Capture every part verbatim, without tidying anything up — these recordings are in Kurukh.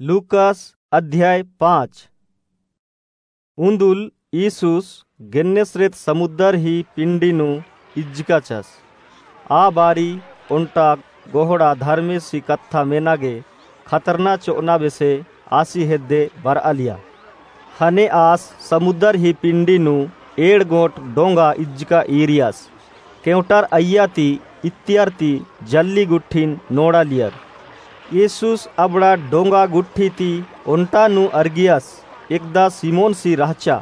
लूकास अध्याय पाँच। उन्दुल ईसुस गेन्नेसरेत समुद्दर ही पिंडी नू इज्जकाचस। आ बारी ओन्टा गोहड़ा धर्मेसी कत्था मेना गे खतरना चोअना बेसे आसी हेद्दे बरआलिया। ख़ने आस समुद्दर ही पिंडी नू एंड़ गोट डोंगा इज्जका ईरियस। केवटर अइय्या ती इत्तियर ती जल्ली गुट्ठिन नोड़ालियर। ईसुस अबड़ा डोंगा गुट्ठी ती ओन्टा नू अरगियस, एकदा सिमोनसी रहचा।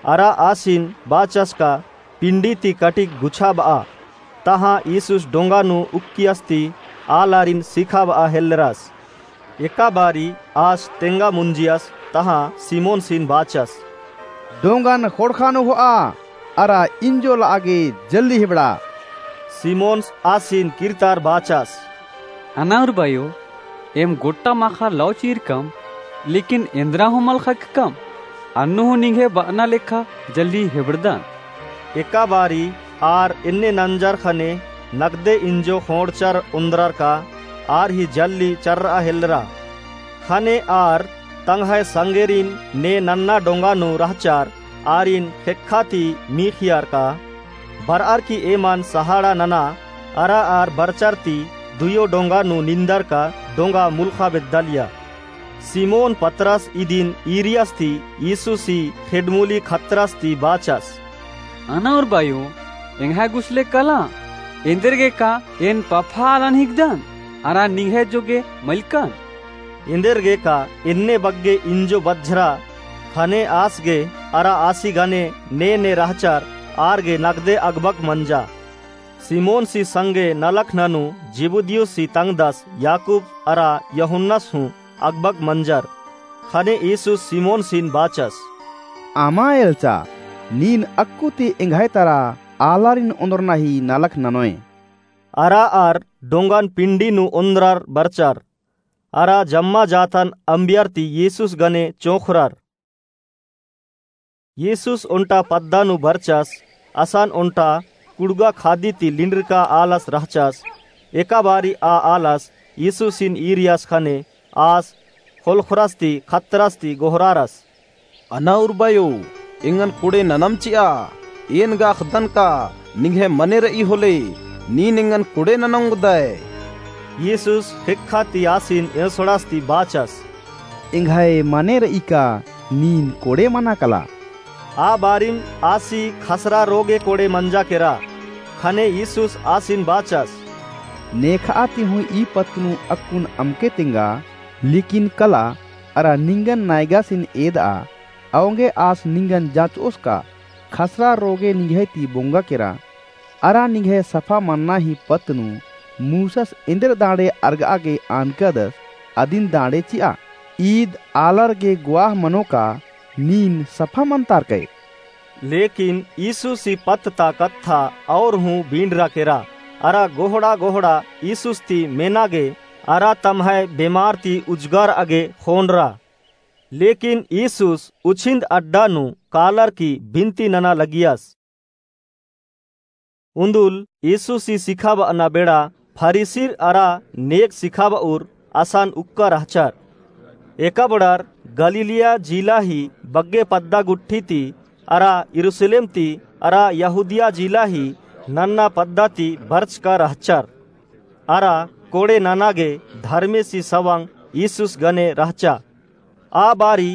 अरा आसिन बाचस का पिंडी ती कटिक गुछाबआ। तहाँ ईसुस डोंगा नू उक्कियस ती आलारिन सिखाबआ हेल्लरस। एका बारी आस तेंगा मुंजियस, तहाँ सिमोनसिन बाचस, डोंगन ख़ोंड़ख़ा नू होआ, अरा इंजो लआ गे जल्दी हिबड़ा। सिमोनस आसिन किर्तार बाचस, अना उर्बायो, एम गोट्टा माख़ा लौ चीरकम, लेकिन एन्दरा हूँ मल ख़क्कम, अन्नु हूँ निंग्है बअना लेखा जल्दी हिबड़दन। एका बारी आर एन्ने नंजर ख़ने नकदे इंजो ख़ोंड़चर ओन्द्रर का आर ही जल्ली चर्रआ हेल्लरा। ख़ने आर तंग्है संगेरिन ने नन्ना डोंगा नू रहचर आरिन ख़ेक्खा ती मीख़ियर का बरअर की एमन सहाड़ा नना। अरा आर बरचर ती दुयो डोंगा नू निंदर का डोंगा मुलख़ा बेद्दालिया। सिमोन पतरस इदिन ईरियस ती ईसुसी ख़ेड्डमुली ख़तरस ती बाचस, अना उर्बायो, एंग्है गुसले कला, एन्देर गे का एन पफा आलन हिकदन, अरा निंग्है जोगे मलकन। एन्देर गे का एन्ने बग्गे इंजो बझरा। ख़ने आस गे अरा आसी गने ने ने रहचर आर गे नकदे अगबग मंजा। सिमोनसी संगे नलख ननू जिबुदियुसी तंगदस याकूब अरा यूहन्नस हूँ अगबग मंजर। ख़ने ईसुस सिमोनसिन बाचस, अमा एल्चा, नीन अक्कु ती एंग्है तरा आलारिन ओन्द्रना ही नलख ननोय। अरा आर डोंगन पिंडी नू ओन्द्रर बरचर। अरा जम्मा जातन अम्बियर ती ईसुस गने चोंख़रर। ईसुस ओन्टा पद्दा नू बरचस। असन ओन्टा कुड़गा खादी ती लिंडरका आलस रहचस। एका बारी आ आलस ईसुसिन ईरियस ख़ने आस ख़ोलख़रस ती ख़तरस ती गोहरारस, अना उर्बायो, एंगन कोड़े ननम चिआ। एन गा अख़दन का निंग्है मने रई होले, नीन एंगन कोड़े नना ओंगदय। ईसुस ख़ेक्खा ती आसिन एंसोड़ास ती बाचस, एंग्है मने रई का नीन कोड़े मना कला। आ बारिम आसी ख़सरा रोगे कोड़े मंजा केरा। ख़ने ईसुस आसिन बाचस, नेखआ ती हूँ ई पत्त नू अक्कुन अमके तेंगा, लेकिन कला अरा निंगन नायगासिन एदआ। औंगे आस निंगन जाँचओस का ख़सरा रोगे निंग्है ती बोंगा केरा। अरा निंग्है सफा मन्ना ही पत्त नू मूसस एन्देर दाँड़े अरगआ गे आनकदस, अदिन दाँड़े चिआ। ईद आलर गे गुआह मनो का नीन सफा मन्तारकय। लेकिन ईसुसी पत्त ता कत्था और हूँ बींडरा केरा। अरा गोहड़ा गोहड़ा ईसुस ती मेना गे अरा तम्है बेमार ती उजगरआ गे ख़ोंड़रा। लेकिन ईसुस उछिन्द अड्डा नू कालर की बिनती नना लगियस। उन्दुल ईसुसी सिखाबअना बेड़ा फरीसिर अरा नेग सिखाबउर असन उक्का रहचर। एकअबड़र गलीलिया जिला ही बग्गे पद्दा गुट्ठी ती अरा यरूसलेम ती अरा यहूदिया जिला ही नन्ना पद्दा ती बरचका रहचर। अरा कोड़े नना गे धर्मेसी सवंग ईसुस गने रहचा। आ बारी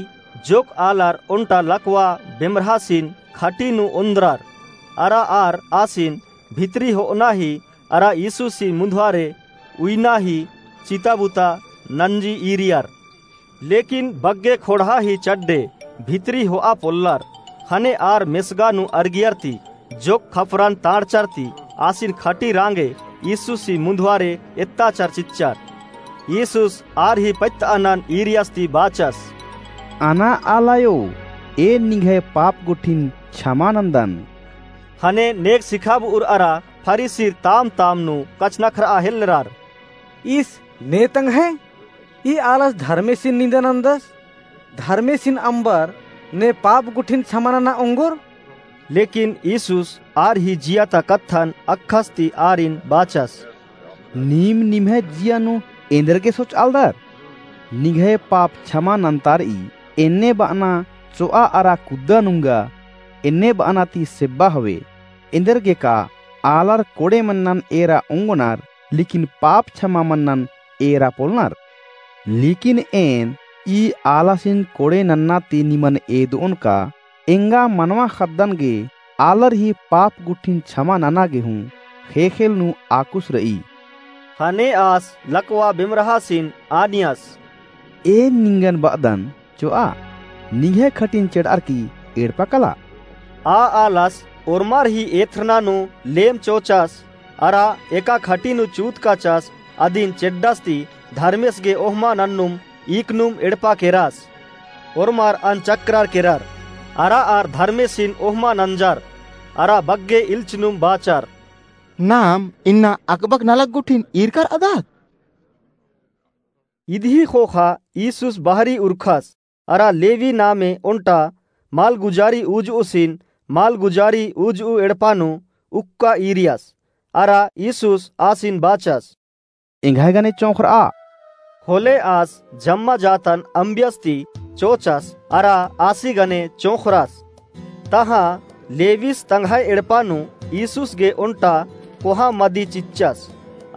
जोक आलर ओन्टा लकवा बेमरहासिन खटी नू ओन्द्रर। अरा आर आसिन भितरी होअना ही अरा ईसुसी मुन्धवारे उइना ही चिताबुता नंजी ईरियर। लेकिन बग्गे ख़ोंड़हा ही चड्डे भितरी होआ पोल्लर। ख़ने आर मेसगा नू अरगियर ती जोक खपरन ताँड़चर ती आसिन खटी राँगे ईसुसी मुन्धवारे एत्ताचर चिच्चर। ईसुस आर ही पत्तअनन ईरियस ती बाचस, अना आलायो, एन निंग्है पाप गुट्ठिन छमा नन्दन। ख़ने नेग सिखाबउर अरा फरीसिर ताम ताम नू कछनखरआ हेल्लरर, ईस ने तंग्है ई आलस धर्मेसिन निंदा नन्दस, धर्मेसिन अम्बर ने पाप गुट्ठिन छमा नना ओंगोर। लेकिन ईसुस आर ही जिया ता कत्थन अक्खस ती आरिन बाचस, नीम निम्है जिया नू एन्देर गे सोचआलदर? निंग्है पाप छमा नन्तार'ई। एन्ने ब'अना चो'आ अरा कुद्दा नुंगा, एन्ने ब'अना ती सेब्बा हवे। एन्देरगेका आलर कोड़े मन्नन एरा ओंगोनर, लेकिन पाप छमा मन्नन एरा पोलनर। लेकिन एन ई आलासिन कोड़े नन्ना ती निमन एदो'ओन का, एंगा मनवा ख़द्दन गे आलर ही पाप गुट्ठिन छमा नना गे हूँ ख़ेख़ेल नू आकुस र'ई। ख़ने आस लकवा बेमरहासिन आनियस। एन निंगन ब'अदन, चो'आ, निंग्है खटिन चेड़'अर की एड़पा कला। आ आलस ओर्मर ही एथ्रना नू लेम चोचस, अरा एका खटी नू चूत काचस, अदिन चेड्डस ती धर्मेस गे ओहमा नन्नुम ईकनुम एड़पा केरस। ओर्मर अनचक्रर केरर, अरा आर धर्मेसिन ओहमा नंजर, अरा बग्गे इल्चनुम बाचर। नाम इन्ना अकबक नलख गुट्ठिन ईरकर अदत? इदही ख़ोख़ा ईसुस बहरी उरख़स, अरा लेवी नामे ओन्टा मालगुजारी उजुसिन मालगुजारी उजु एड़पा नू उक्का ईरियस, अरा ईसुस आसिन बाचस। एंग्है गने चोंख़र'आ। होले आस जम्मा जातन अम्बियस ती चोचस, अरा आसी गने चोंख़रस। तहाँ लेविस तंग्है एड़पा नू ईसुस गे ओन्टा कोहा मदी चिच्चस।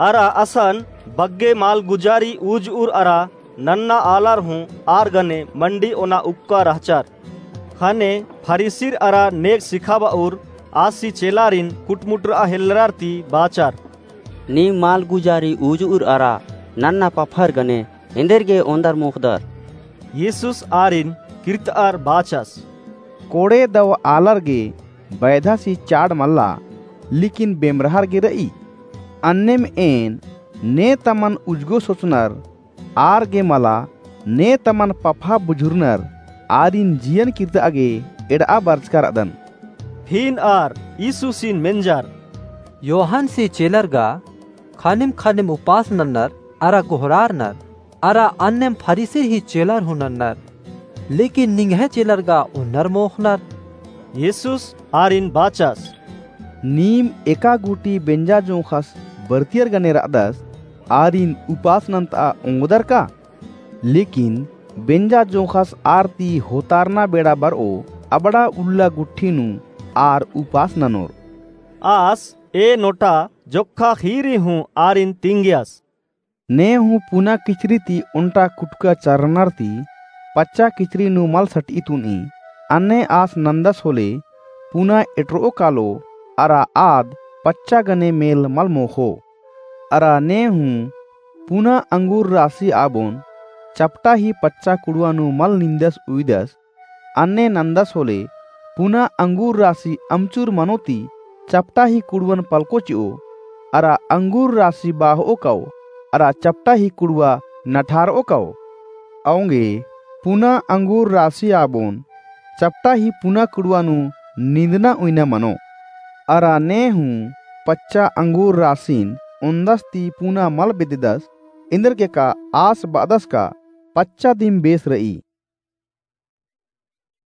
अरा असन बग्गे मालगुजारी उजुर अरा नन्ना आलर हूँ आर गने मंडी ओना उक्का रहचर। ख़ने फरीसिर अरा नेग सिखाब'अउर आसी चेलारिन कुटमुटर'आ हेल्लरर ती बाचर। नीम मालगुजारी उजुर अरा नन्ना पफर गने एन्देरगे ओन्दर मोख़दर? ईसुस आरिन किर्त'अर बाचस। कोड़े दव आलर गे बैधासी चाड़ मल्ला, लेकिन बेमरहर गे र'ई। अन्नेम एन ने तमन उजगो सोचनर आर गे मला, ने तमन पफा बुझुरनर आरिन जियन किर्त'आ गे एड़'आ बरचका र'अदन। फिन आर ईसुसिन मेंजर। योहानसी चेलर गा ख़ानिम ख़ानिम उपास नन्नर अरा गोहरारनर, अरा अन्नेम फरीसिर ही चेलर हूँ नन्नर, लेकिन निंग्है चेलर गा ओन्नर मोख़नर। ईसुस आरिन बाचस। नीम एका गूटी बेंजा जोंख़स बरतियर गने र'अदस, आरिन उपास नन्त'आ ओंगदर का? लेकिन बेंजा जोंख़स आर ती होतारना बेड़ा बर'ओ, अबड़ा उल्ला गुट्ठी नू आर उपास ननोर। आस ए नोटा जोक्खा ख़ीरी हूँ आरिन तिंगियस। ने हूँ पुना किचरी ती ओन्टा कुटका चरनर ती पच्चा किचरी नू मल सट'ई तुन'ई। अन्ने आस नन्दस होले पुना एटर'ओ कालो, अरा आद पच्चा गने मेल मल मोख़ो। अरा ने हूँ पुना अंगूर रासी आबोन चपटा ही पच्चा कुड़वा नू मल निन्दस उइदस। अन्ने नन्दस होले पुना अंगूर रासी अमचूर मनो ती चपटा ही कुड़वन पलको चि'ओ, अरा अंगूर रासी बाह'ओ काओ, अरा चपटा ही कुड़वा नठार'ओ काओ। औंगे पुना अंगूर रासी आबोन चपटा ही पुना कुड़वा नू निन्दना उइना मनो। अरा ने हूँ पच्चा अंगूर रासिन ओन्दस ती पुना मल बेद्ददस, एन्देरगेका आस ब'अदस का पच्चा दिम बेस र'ई।